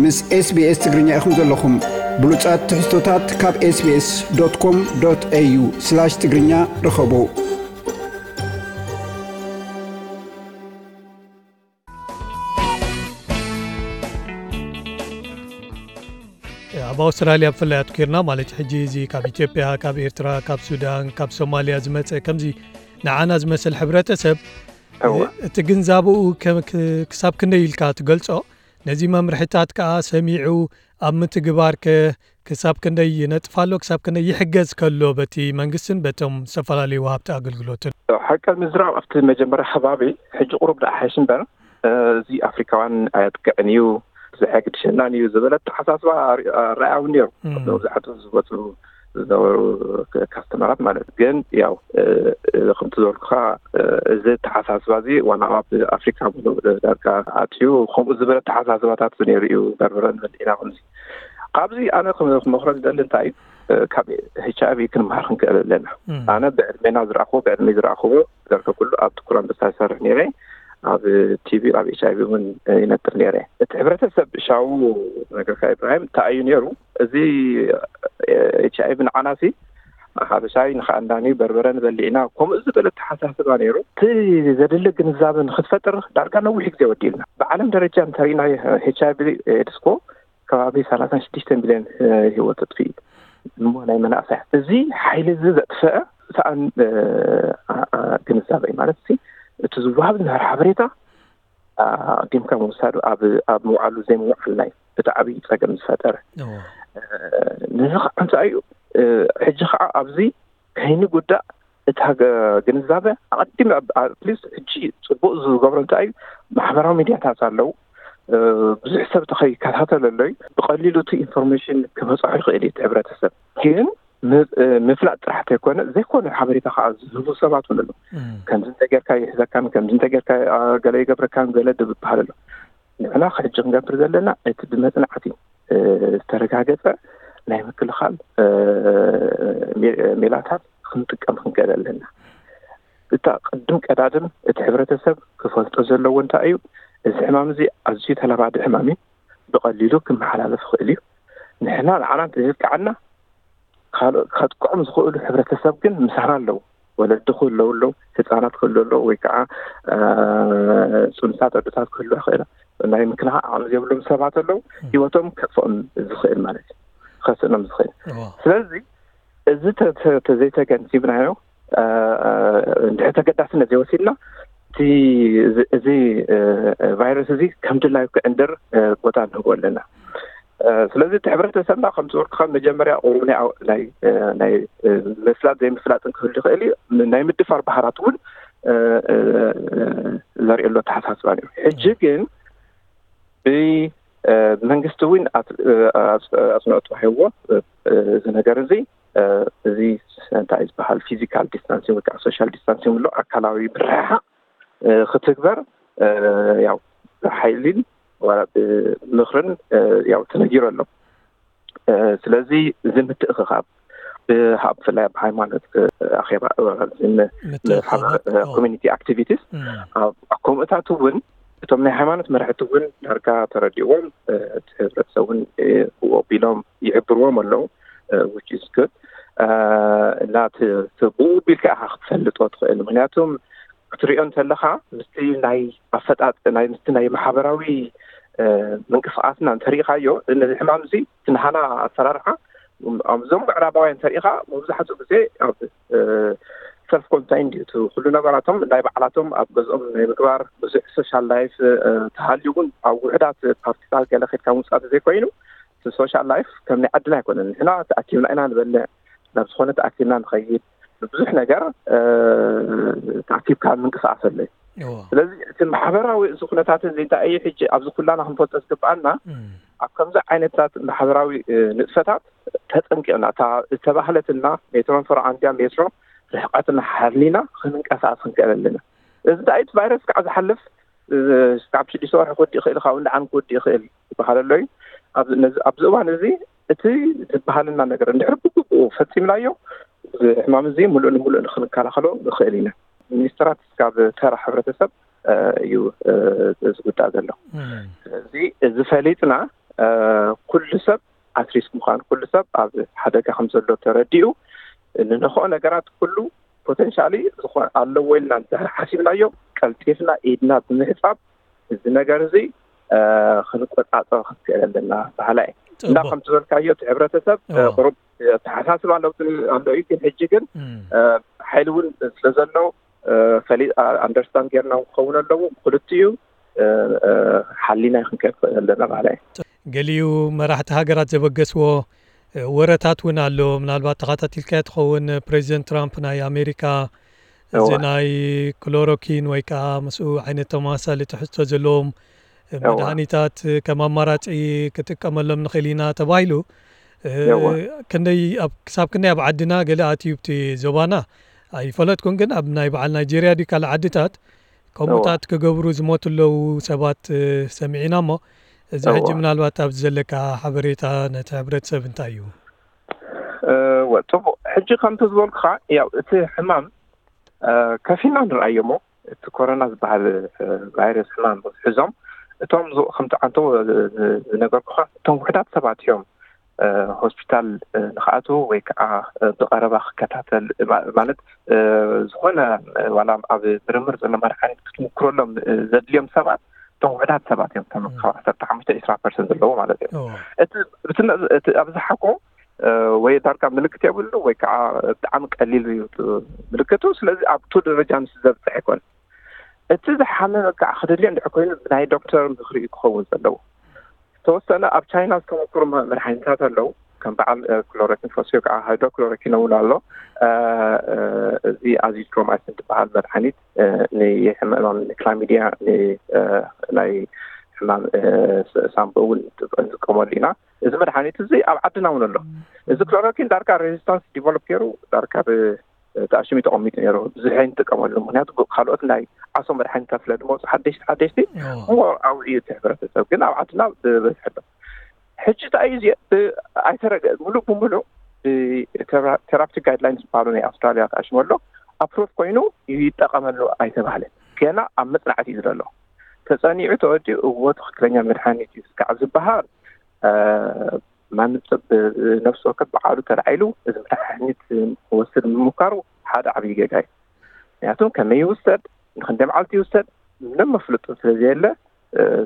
ምስ SBS ትግርኛ ኢኹም ዘለኹም። ብሉጻት ትሕዝቶታት ካብ SBS.com.au/ትግርኛ ርኸቡ። ኣብ ኣውስትራልያ ብፍላይ ኣትኪርና፣ ማለት ሕጂ እዚ ካብ ኢትዮጵያ፣ ካብ ኤርትራ፣ ካብ ሱዳን፣ ካብ ሶማልያ ዝመጸ ከምዚ ንዓና ዝመስል ሕብረተሰብ፣ እወ። እቲ ግንዛበኡ ከ-፣ ክ-፣ ክሳብ ክንደይ ኢልካ ትገልጾ? ነዚ መምርሒታት ከኣ ሰሚዑ ኣብ ምትግባር ከ ክሳብ ክንደይ ይነጥፍ ኣሎ? ክሳብ ክንደይ ይሕገዝ ከሎ በቲ መንግስትን በቶም ዝተፈላለዩ ወሃብቲ ኣገልግሎትን? ሓቂ ምዝራብ ኣብቲ መጀመርያ ከባቢ ሕጂ ቁሩብ ደኣ ሓይሽ እምበር፣ እ፣ እዚ ኣፍሪካውያን ኣየጥቅዕን እዩ፣ ዘሐግድሸናን እዩ ዝበለ ኣተሓሳስባ ኣር-፣ ኣረኣያ እውን ነይሩ። እም። መብዛሕትኡ ዝመፁ ዝነበሩ ክ-፣ ካስተመራት ማለት ግን ያው፣ እ፣ እ፣ ከምቲ ዝበልኩኻ፣ እ፣ እዚ ኣተሓሳስባ እዚ ዋላ ኣብ ኣፍሪካ ሙሉእ ዳርጋ ኣትዩ ከምኡ ዝበለ ኣተሓሳስባታት ነይሩ እዩ። በርበረ ንበልዕ ኢና ከምዚ። ካብዚ ኣነ ክም-፣ ክመኽሮ ዝደሊ እንታይ እዩ፣ እ፣ ካብ ኤች ኣይ ቪ ክንመሃር ክንክእል ኣለና። እም። ኣነ ብዕድሜና ዝረኣኽዎ፣ ብዕድሜ ዝረኣኽዎ ዘርከ ኩሉ ኣብ ጥቁር ኣንበሳ ይሰርሕ ነይረ። ኣብ ቲ ቢ፣ ኣብ ኤች ኣይ ቪ እውን ይነጥር ነይረ። እቲ ሕብረተሰብ ሻው ነገርካ ኢብራሂም እንታይ እዩ ነይሩ? እዚ ኤች ኣይ ቪ ንዓናሲ ሓበሻይ ንኸኣንዳኒ በርበረ ንበልዕ ኢና፣ ከምኡ ዝበለ ኣተሓሳስባ ነይሩ። እቲ ዘድሊ ግንዛበ ንክትፈጥር ዳርጋ ነዊሕ ግዜ ወዲእልና። ብዓለም ደረጃ እንተሪእና ኤች ኣይ ቪ ኤድስ እኮ ከባቢ ሰላሳን ሽዱሽተ ሚልዮን፣ እ፣ ህይወት ኣጥፊኡ እዩ። እሞ ናይ መናእሰያት እዚ ሓይሊ እዚ ዘጥፈአ ሰኣን፣ እ፣ ኣ-፣ ኣ-፣ ግንዛበ እዩ ማለት፣ እቲ ዝወሃብ ዝነበረ ሓበሬታ ኣቐዲምካ ምውሳዱ ኣብ፣ ኣብ ምውዓሉ ዘይምውዓልና እዩ እቲ ዓብዪ ጸገም ዝፈጠረ። እዎ። እ፣ ነዚ ከዓ እንታይ እዩ፣ እ፣ ሕጂ ከዓ ኣብዚ ከይንጉዳእ እቲ ሃገ-፣ ግንዛበ ኣቐዲም ኣብ-፣ ኣትሊስት ሕጂ ጽቡቕ ዝገብሮ እንታይ እዩ፣ ማሕበራዊ ሚድያታት ኣለዉ። እ፣ ብዙሕ ሰብ ተኸይከታተለሎ እዩ። ብቐሊሉ እቲ ኢንፎርሜሽን ክበጽሖ ይኽእል እዩ እቲ ሕብረተሰብ። ግን ም-፣ እ፣ ምፍላጥ ጥራሕ ተይኮነ፣ ዘይኮነ ሓበሬታ ከዓ ዝህቡ ሰባት እውን ኣለዉ። እም። ከምዚ እንተጌርካ ይሕዘካን፣ ከምዚ እንተጌርካ፣ አ፣ ገለ ይገብረካን፣ ገለ ድብሃል ኣሎ። ንሕና ሕጂ ክንገብር ዘለና፣ እቲ ብመጽናዕቲ፣ እ፣ ዝተረጋገጸ ናይ ምክልኻል፣ እ፣ ሜ-፣ ሜላታት ክንጥቀም ክንክእል ኣለና። እታ ቅድም ቀዳድም እቲ ሕብረተሰብ ክፈልጦ ዘለዎ እንታይ እዩ፣ እዚ ሕማም እዚ ኣዝዩ ተላባዲ ሕማም እዩ። ብቐሊሉ ክመሓላለፍ ይኽእል እዩ። ንሕና ንዓና እንተዘየጥቅዓና፣ ካልኦት ከጥቅዖም ዝኽእሉ ሕብረተሰብ ግን ምሳና ኣለዉ። ወለዲ ክህለዉ ኣለዉ፣ ህፃናት ክህልዉ ኣለዉ፣ ወይ ከዓ፣ እ፣ ፅኑሳት ኣዶታት ክህልዋ ይኽእላ። ናይ ምክልኻል ዓቕሚ ዘይብሎም ሰባት ኣለዉ፣ ም። ህይወቶም ከጥፍኦም ዝኽእል ማለት እዩ፣ ከስእኖም ዝኽእል። እዋ። ስለዚ እዚ ተ-፣ ተ-፣ ተዘይተገንዚብናዮ፣ እ፣ እ፣ እንድሕር ተገዳስነት ዘይወሲድና፣ እቲ፣ እዚ፣ እዚ፣ እ፣ እ፣ ቫይረስ እዚ ከም ድላዩ ክዕንድር፣ እ፣ ቦታ ንህቦ ኣለና። እ፣ ስለዚ እቲ ሕብረተሰብና ከም ዝበልኩኻ መጀመርያ ቁሩብ ናይ ኣው-፣ ናይ፣ እ፣ ናይ፣ እ፣ ምፍላጥ ዘይምፍላጥን ክህሉ ይኽእል እዩ። ም-፣ ናይ ምድፋር ባህራት እውን፣ እ፣ እ፣ እ፣ ዘርእየሉ ኣተሓሳስባ ነይሩ። ሕጂ ግን ብ-፣ እ፣ መንግስቲ እውን ኣት-፣ እ፣ ኣጽ-፣ ኣጽንኦት ተዋሂብዎ፣ እ፣ እ፣ እዚ ነገር እዚ፣ እ፣ እዚ እንታይ ዝበሃል ፊዚካል ዲስታንሲንግ ወይ ከዓ ሶሻል ዲስታንሲንግ ኣሎ፣ ኣካላዊ ምርሕሓቕ፣ እ፣ ክትግበር፣ እ፣ ያው ብሓይሊን ዋላ ብምኽርን፣ እ፣ ያው ተነጊሩ ኣሎ። እ፣ ስለዚ እዚ ምትእኽኻብ ብ-፣ ኣብ፣ ብፍላይ ኣብ ሃይማኖት፣ እ፣ ኣኼባ፣ እ፣ ን-፣ ምትእኽኻባት፣ ንሓበረ-፣ እ፣ ኦ። ኮሚኒቲ ኣክቲቪቲስ እም። ኣብ፣ ኣብ ከምኡታት እውን እቶም ናይ ሃይማኖት መራሕቲ እውን ዳርጋ ተረዲእዎም፣ እ፣ እቲ ሕብረተሰብ እውን፣ እ፣ ብኡ ኣቢሎም ይሕብርዎም ኣለዉ፣ እ፣ which is good። እ፣ እና እቲ፣ እቲ ብኡ ኣቢልካ ኢኻ ክትፈልጦ ትኽእል። ምኽንያቱም ክትሪኦ እንተለኻ ምስቲ ናይ ኣፈጣጥ-፣ ናይ፣ ምስቲ ናይ ማሕበራዊ፣ እ፣ ምንቅስቓስና እንተሪኢኻዮ፣ ነዚ ሕማም እዚ እቲ ናህና ኣሰራርሓ፣ እም፣ ኣብዞም ምዕራባውያን እንተሪኢኻ፣ መብዛሕትኡ ግዜ ኣብ፣ እ፣ ሰልፍ ኮንታይንድ እዩ። እቲ ኩሉ ነገራቶም ናይ ባዕላቶም ኣብ ገዝኦም ናይ ምግባር ብዙሕ ሶሻል ላይፍ፣ እ፣ ተሃልዩ እውን ኣብ ውሑዳት ፓርቲታት ገለ ከድካ ምውፃእ ተዘይኮይኑ፣ እቲ ሶሻል ላይፍ ከም ናይ ዓድና ኣይኮነን። ንሕና ተኣኪብና ኢና ንበልዕ፣ ናብ ዝኾነ ተኣኪብና ንኸይድ፣ ብዙሕ ነገር፣ እ፣ ተኣኪብካ ምንቅስቓስ ኣሎ እዩ። እዎ። ስለዚ እቲ ማሕበራዊ እዚ ኩነታት እዚ እንታይ እዩ ሕጂ ኣብዚ ኩላና ክንፈልጦ ዝግብኣና፣ እም። ኣብ ከምዚ ዓይነታት ማሕበራዊ፣ እ፣ ንጥፈታት ተጠንቂቕና፣ እታ ዝተባህለትና ሜትሮን ፈረቓን ድያ ሜትሮ ርሕቀትና ሓሊና ክንንቀሳቐስ ክንክእል ኣለና። እዚ እንታይ እቲ ቫይረስ ከዓ ዝሓልፍ፣ እ፣ ካብ ሽዱሽተ ወርሒ ክወዲ ይኽእል፣ ካብ እንዳ ዓም ክወዲ ይኽእል ይበሃል ኣሎ እዩ። ኣብ፣ ነዚ፣ ኣብዚ እዋን እዚ እቲ ዝበሃለና ነገር እንድሕር ብግቡእ ፈጺምናዮ፣ እዚ ሕማም እዚ ምሉእ ንምሉእ ንክንከላኸሎ ንኽእል ኢና። ሚኒስትራት ካብ ተራ ሕብረተሰብ፣ እ፣ እዩ፣ እ፣ ዝጉዳእ ዘሎ። እም። ስለዚ እዚ ፈሊጥና ኩሉ ሰብ ኣትሪስክ ምዃኑ፣ ኩሉ ሰብ ኣብ ሓደጋ ከም ዘሎ ተረዲኡ፣ ንነኽኦ ነገራት ኩሉ ፖተንሻሊ ዝኾነ ኣለዎ ኢልና እንድሕር ሓሲብናዮ፣ ቀልጢፍና ኢድና ብምሕጻብ እዚ ነገር እዚ ክንቆጻጸሮ ክንክእል ኣለና በሃላ እየ። እና ከምቲ ዝበልካዮ፣ እቲ ሕብረተሰብ ቁሩብ ኣተሓሳስባ ለውጢ ኣሎ እዩ። ግን ሕጂ ግን ሓይሊ እውን ስለ ዘሎ ፈሊ ኣንደርስታንድ ጌርና ክኸውን ኣለዎ። ብክልቲኡ ሓሊና ክንከድ ክእል ኣለና ማለት እዩ። ገሊኡ መራሕቲ ሃገራት ዘበገስዎ ወረታት እውን ኣሎ። ምናልባት ተኸታቲልካዮ ትኸውን፣ ፕሬዚደንት ትራምፕ ናይ ኣሜሪካ እዚ ናይ ክሎሮኪን ወይ ከዓ ምስኡ ዓይነት ተመሳሳሊ ትሕዝቶ ዘለዎም መድሃኒታት ከም ኣማራፂ ክጥቀመሎም ንኽእል ኢና ተባሂሉ። ክንደይ ክሳብ ክንደይ ኣብ ዓድና ገለ ኣትዩ ኣብቲ ዞባና ኣይፈለጥኩን፣ ግን ኣብ ናይ በዓል ናይጄርያ ድዩ ካልእ ዓድታት ከምኡታት ክገብሩ ዝሞቱ ኣለዉ ሰባት ሰሚዕና። እሞ እዚ ሕጂ ምናልባት ኣብዚ ዘለካ ሓበሬታ ነቲ ሕብረተሰብ እንታይ እዩ? ወ ጽቡቕ። ሕጂ ከምቲ ዝበልኩኻ፣ ያው እቲ ሕማም ከፊልና ንርኣዮ እሞ፣ እቲ ኮሮና ዝበሃል ቫይረስ ሕማም ሒዞም እቶም ከምቲ ዓንቶ ዝነገርኩኻ፣ እቶም ውሕዳት ሰባት እዮም ሆስፒታል ንክኣትዉ ወይ ከዓ ብቐረባ ክከታተል፣ ማለት ዝኾነ ዋላ ኣብ ምርምር ዘሎ መድሓኒት ክትምክረሎም ዘድልዮም ሰባት እቶም ውሕዳት ሰባት እዮም። ከም ካብ ዓሰርተ ሓሙሽተ ዒስራ ፐርሰንት ዘለዎ ማለት እዩ። እቲ ኣብዝሓ ኮ ወይ ዳርጋ ምልክት የብሉ ወይ ከዓ ብጣዕሚ ቀሊል እዩ ምልክቱ። ስለዚ ኣብቱ ደረጃ ምስ ዘብፅሕ ኣይኮን። እቲ ዝሓመመ ከዓ ክድልዮ እንድሕር ኮይኑ ብናይ ዶክተር ምክሪ እዩ ክኸውን ዘለዎ። ዝተወሰነ ኣብ ቻይና ዝተሞክሩ መድሓኒታት ኣለዉ። ከም በዓል ክሎሮኪን ፈስዮ ከዓ ሃይድሮክሎሮኪን እውን ኣሎ። እዚ ኣዚትሮማይሲን ዝበሃል መድሓኒት ንሕማም ክላሚዲያ፣ ናይ ሕማም ሳምቦ እውን ንጥቀመሉ ኢና። እዚ መድሓኒት እዚ ኣብ ዓድና እውን ኣሎ። እዚ ክሎሮኪን ዳርጋ ሬዚስታንስ ዲቨሎፕ ገይሩ ዳርጋ ተኣሽሙ ተቐሚጡ ነይሩ። ብዙሕ ኣይንጥቀመሉ፣ ምክንያቱ ካልኦት ናይ ዓሶ መድሓኒታት ስለ ዝመፁ ሓደሽቲ ሓደሽቲ እሞ ኣብኡ እዩ እቲ ሕብረተሰብ። ግን ኣብ ዓድና ብበዝሒ ኣሎ። ሕጂ እንታይ እዩ እዚ ኣይተረገ ሙሉእ ብሙሉእ ቴራፕቲክ ጋይድላይንስ ዝበሃሉ ናይ ኣውስትራሊያ ተኣሽሙ ኣሎ። ኣፕሩቭ ኮይኑ ይጠቐመሉ ኣይተባህለን። ገና ኣብ መፅናዕቲ እዩ ዘሎ። ተፀኒዑ ተወዲኡ እዎ ትኽክለኛ መድሓኒት እዩ እስካዕ ዝበሃል ማንም ሰብ ነፍሲ ወከፍ በዓሉ ተላዒሉ እዚ መድሓኒት ክወስድ ምምካሩ ሓደ ዓብዪ ጌጋ እዩ። ምክንያቱም ከመይ ይውሰድ፣ ንክንደይ መዓልቲ ይውሰድ፣ ምንም መፍለጡ ስለዘየለ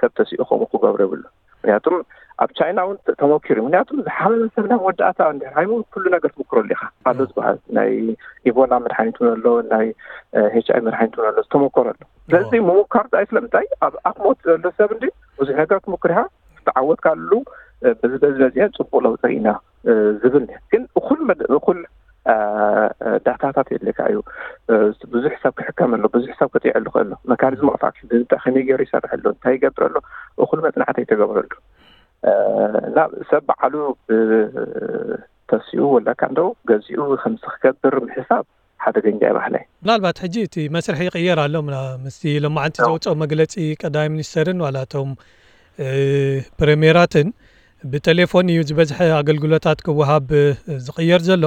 ሰብ ተሲኡ ከምኡ ክገብሮ የብሉ። ምክንያቱም ኣብ ቻይና እውን ተሞኪሩ። ምክንያቱም ዝሓመመ ሰብ ናይ መወዳእታ እንድሕር ሃይሙ ኩሉ ነገር ትምክረሉ ኢኻ። ኣሎ ዝበሃል ናይ ኢቦላ መድሓኒት እውን ኣሎ፣ ናይ ኤች ኣይ መድሓኒት እውን ኣሎ፣ ዝተሞከረ ኣሎ። ስለዚ ምምካር ዳይ ስለምንታይ ኣብ ኣፍ ሞት ዘሎ ሰብ እንዲ ብዙሕ ነገር ትምክር ኢኻ፣ ዝተዓወትካሉ በዚ በዚ በዚአ ፅቡቅ ለውጢ ኢና ዝብል። ግን እኩል እኩል ዳታታት የድልየካ እዩ። ብዙሕ ሰብ ክሕከም ኣሎ፣ ብዙሕ ሰብ ክጥዕሉ ክእል ኣሎ። መካኒዝም ኦፍ ኣክሽን እንታይ ከመይ ገይሩ ይሰርሕ ኣሎ፣ እንታይ ይገብር ኣሎ፣ እኩል መፅናዕቲ ኣይተገበረሉ። እና ሰብ በዓሉ ተሲኡ ወላ ካንዶ ገዚኡ ከምዚ ክገብር ምሕሳብ ሓደገኛ እዩ ባሕለይ። ምናልባት ሕጂ እቲ መስርሕ ይቕየር ኣሎ። ምስቲ ሎማዓንቲ ዘውፅኦ መግለፂ ቀዳማይ ሚኒስተርን ዋላ እቶም ፕሬምየራትን ብቴሌፎን እዩ ዝበዝሐ ኣገልግሎታት ክወሃብ ዝቕየር ዘሎ።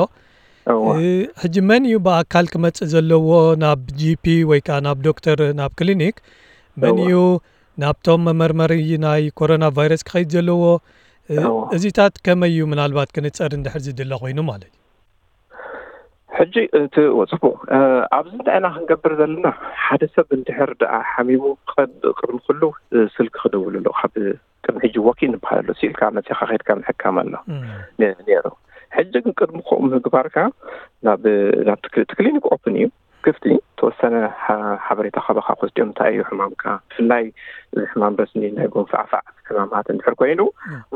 ሕጂ መን እዩ ብኣካል ክመፅእ ዘለዎ ናብ ጂፒ ወይ ከዓ ናብ ዶክተር ናብ ክሊኒክ? መን እዩ ናብቶም መመርመሪ ናይ ኮሮና ቫይረስ ክኸይድ ዘለዎ? እዚታት ከመይ እዩ ምናልባት ክንፀር እንድሕር ዝድለ ኮይኑ ማለት እዩ? ሕጂ እቲ ጽቡቕ ኣብዚ እንታይ ኢና ክንገብር ዘለና? ሓደ ሰብ እንድሕር ደኣ ሓሚሙ ቅድሚ ኩሉ ስልኪ ክደውል ኣለዎ። ካብ ቅድሚ ሕጂ ወኪ እንበሃል ኣሎ። ስኢልካ መጺኻ ከድካ ምሕካም ኣሎ ነይሩ። ሕጂ ግን ቅድሚ ከምኡ ምግባርካ ናብ ናብቲ ክሊኒክ ኦፕን እዩ፣ ክፍቲ። ተወሰነ ሓበሬታ ካባኻ ክወስድዮም፣ እንታይ እዩ ሕማምካ፣ ብፍላይ እዚ ሕማም ረስኒ ናይ ጎንፋዕፋዕ ሕማማት እንድሕር ኮይኑ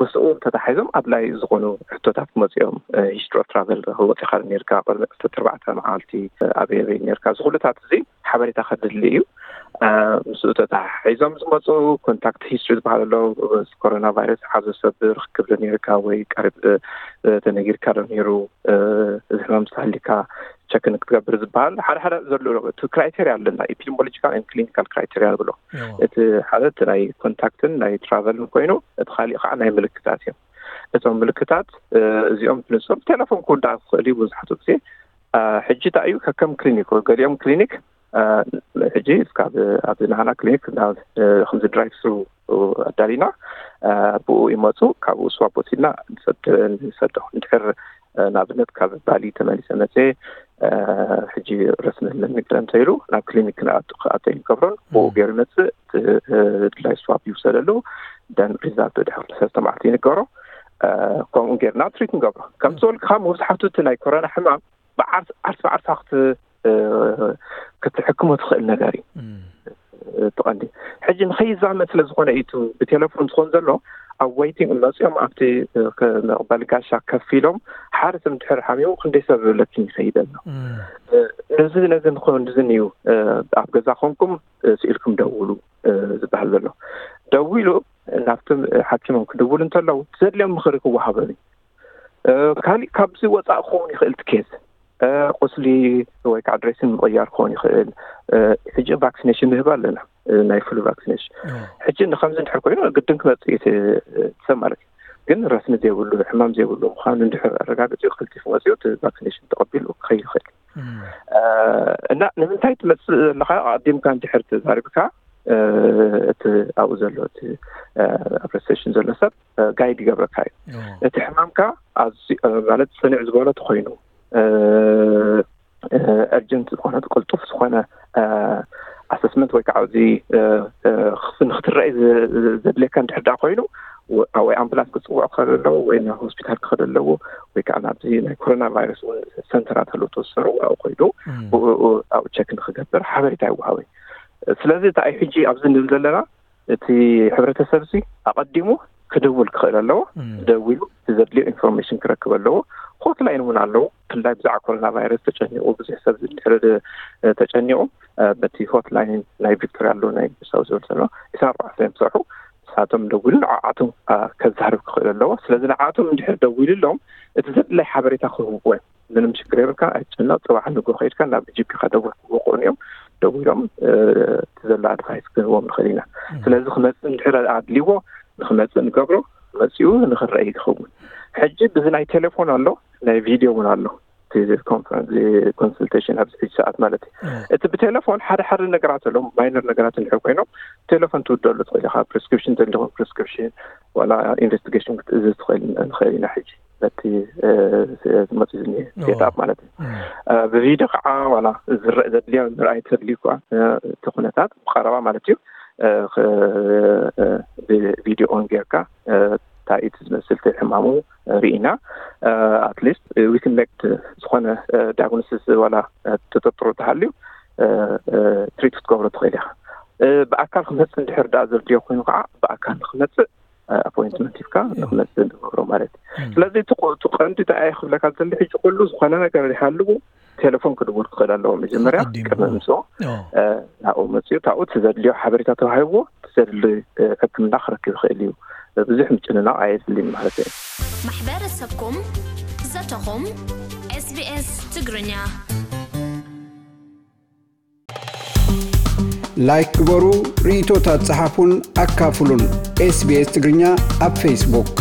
ምስኡ ተታሒዞም ኣድላይ ዝኾኑ ሕቶታት ክመፅኦም፣ ሂስትሪ ኦፍ ትራቨል ወፂኻ ነርካ ቅድሚ ዕስራተ ኣርባዕተ መዓልቲ ኣበይ ኣበይ ነርካ፣ እዚ ኩሉታት እዚ ሓበሬታ ከድሊ እዩ። ምስኡ ተታሒዞም ዝመፁ ኮንታክት ሂስትሪ ዝበሃል ኣሎ። ኮሮና ቫይረስ ዝሓዞ ሰብ ርክክብ ዶ ነርካ ወይ ቀሪብ ተነጊርካ ዶ ነይሩ፣ እዚ ሕማም ዝተሃሊካ ቸክ ንክትገብር ዝበሃል ሓደ ሓደ ዘሎ እቲ ክራይቴሪያ ኣለና፣ ኤፒዲሞሎጂካል ክሊኒካል ክራይቴሪያ ንብሎ። እቲ ሓደ እቲ ናይ ኮንታክትን ናይ ትራቨልን ኮይኑ እቲ ካሊእ ከዓ ናይ ምልክታት እዮም። እቶም ምልክታት እዚኦም ብንፁር ቴሌፎን ክውዳእ ክኽእል እዩ። ብዙሓቱ ግዜ ሕጂ እንታይ እዩ ከከም ክሊኒክ፣ ገሊኦም ክሊኒክ ሕጂ እስካብ ኣብዚ ናህና ክሊኒክ ከምዚ ድራይቭ ስሩ ኣዳሊና ብኡ ይመፁ። ካብኡ ስዋብ ወሲድና ንሰዶ። እንድሕር ንኣብነት ካብ ባሊ ተመሊሰ መፅየ ሕጂ ረስኒ ኣለኒ ገለ እንተኢሉ ናብ ክሊኒክ ክኣቶ ይንገብሮን ብኡ ገይሩ ይመፅእ። ድላይ ስዋብ ይውሰደሉ። ደን ሪዛልት ድሕሪ ሰለስተ መዓልቲ ይንገሮ። ከምኡ ጌርና ትሪት ንገብሮ። ከም ዝበልካ መብዛሕቱ እቲ ናይ ኮሮና ሕማም ብዓርስ ዓርስ ብዓርሳ ክትሕክሞ ትኽእል ነገር እዩ። ትቐንዲ ሕጂ ንኸይዛመድ ስለ ዝኾነ እዩ ብቴሌፎን ዝኾን ዘሎ ኣብ ወይቲንግ መፂኦም ኣብቲ መቕበሊ ጋሻ ከፊሎም ሓደ ሰብ እንድሕር ሓሚሙ ክንደይ ሰብ ለኪን ይኸይድ ኣሎ። ነዚ ነዚ ንኾን ዝን እዩ። ኣብ ገዛ ኮንኩም ስኢልኩም ደውሉ ዝበሃል ዘሎ። ደዊሉ ናብቲ ሓኪሞም ክድውሉ እንተለዉ ዘድልዮም ምኽሪ ክወሃቦም እዩ። ካሊእ ካብዚ ወፃእ ክኸውን ይኽእል ትኬዝ ቁስሊ ወይ ከዓ ድሬሲን ምቕያር ክኸውን ይኽእል። ሕጂ ቫክሲኔሽን ንህብ ኣለና ናይ ፍሉ ቫክሲኔሽን። ሕጂ ንከምዚ እንድሕር ኮይኑ ግድን ክመፅእ እዩ ሰብ ማለት እዩ። ግን ረስኒ ዘይብሉ ሕማም ዘይብሉ ምዃኑ እንድሕር ኣረጋግፂ ክልቲፉ መፅኡ እቲ ቫክሲኔሽን ተቐቢሉ ክኸይድ ይኽእል። እና ንምንታይ ትመፅእ ዘለካ ኣዲምካ እንድሕር ተዛሪብካ እቲ ኣብኡ ዘሎ እቲ ኣብ ሬጅስትሬሽን ዘሎ ሰብ ጋይድ ይገብረካ እዩ። እቲ ሕማምካ ማለት ፅንዕ ዝበሎ ተኮይኑ እርጀንት ዝኾነ ቅልጡፍ ዝኾነ ኣሰስመንት ወይ ከዓ እዚ ንክትረአይ ዘድልየካ እንድሕር ዳ ኮይኑ ወይ ኣምቡላንስ ክፅውዖ ክኸደ ኣለዎ ወይ ናብ ሆስፒታል ክኸደ ኣለዎ ወይ ከዓ ናብዚ ናይ ኮሮና ቫይረስ እውን ሰንተራት ኣለዎ ተወሰሩ ኣብኡ ኮይዱ ኣብኡ ቸክ ንክገብር ሓበሬታ ይወሃበ። ስለዚ እንታይ ሕጂ ኣብዚ ንብል ዘለና እቲ ሕብረተሰብ ሲ ኣቐዲሙ ክድውል ክኽእል ኣለዎ። ደዊሉ እቲ ዘድልዮ ኢንፎርሜሽን ክረክብ ኣለዎ። ሆትላይን እውን ኣለዉ። ብፍላይ ብዛዕባ ኮሮና ቫይረስ ተጨኒቑ ብዙሕ ሰብ እንድሕር ተጨኒቑ በቲ ሆትላይን ናይ ቪክቶሪያ ኣለዉ ናይ ሳውዝ ዌልስ ኣሎ ዕስራን ኣርባዕተን እዮም ዝሰርሑ። ንሳቶም ደዊሉ ንዓዓቶም ከዛርብ ክኽእል ኣለዎ። ስለዚ ንዓዓቶም እንድሕር ደዊሉ ኣሎም እቲ ዘድላይ ሓበሬታ ክህብዎ እዮም። ምንም ሽግር የብልካ ኣይትጨነቕ። ፅባሕ ንጎ ከይድካ ናብ ጂፒካ ደውል ክወቅዑን እዮም። ደዊሎም እቲ ዘሎ ኣድቫይስ ክህቦም ንኽእል ኢና። ስለዚ ክመፅእ እንድሕር ኣድልዎ ንክመፅእ ንገብሮ መፂኡ ንክረአ ይኸውን። ሕጂ ብዚ ናይ ቴሌፎን ኣሎ ናይ ቪድዮ እውን ኣሎ። ኮንሱልቴሽን ኣብዚ ሕጂ ሰዓት ማለት እዩ። እቲ ብቴሌፎን ሓደ ሓደ ነገራት ኣለዎም ማይነር ነገራት እንድሕር ኮይኖም ቴሌፎን ትውደሉ ትኽእል ኢኻ። ፕሪስክሪፕሽን እንተሊኹም ፕሪስክሪፕሽን ዋላ ኢንቨስቲጌሽን ክትእዝዝ ትኽእል ንኽእል ኢና ሕጂ በቲ ዝመፅእ ዝኒሀ ሴትኣፕ ማለት እዩ። ብቪድዮ ከዓ ዋላ ዝረእ ዘድልዮ ምርኣይ ተድልዩ ከዓ እቲ ኩነታት ብቀረባ ማለት እዩ ብቪድዮ ኦን ጌርካ እንታይ እቲ ዝመስል እቲ ሕማሙ ርኢና ኣትሊስት ዊክን ሜክት ዝኾነ ዳያግኖሲስ ዋላ ተጠርጥሮ ተሃልዩ ትሪት ክትገብሮ ትኽእል ኢኻ። ብኣካል ክመፅእ እንድሕር ዳ ዘድልዮ ኮይኑ ከዓ ብኣካል ንክመፅእ ኣፖይንትመንት ሂብካ ንክመፅእ ንገብሮ ማለት እዩ። ስለዚ እቲ ቀንዲ እንታይ ክብለካ ዝደሊ ሕጂ ኩሉ ዝኾነ ነገር ይሃልዉ ቴሌፎን ክድውል ክኽእል ኣለዎ መጀመርያ ቅድሚ ምምፅኦ ናብኡ መፅኡ ካብኡ እቲ ዘድልዮ ሓበሬታ ተዋሂብዎ እቲ ዘድሊ ሕክምና ክረክብ ይኽእል እዩ። ብዙሕ ምጭንናቕ ኣየድልን ማለት እዩ። ማሕበረሰብኩም ዘተኹም SBS ትግርኛ ላይክ ግበሩ፣ ርእይቶታት ጸሓፉን ኣካፍሉን። SBS ትግርኛ ኣብ ፌስቡክ።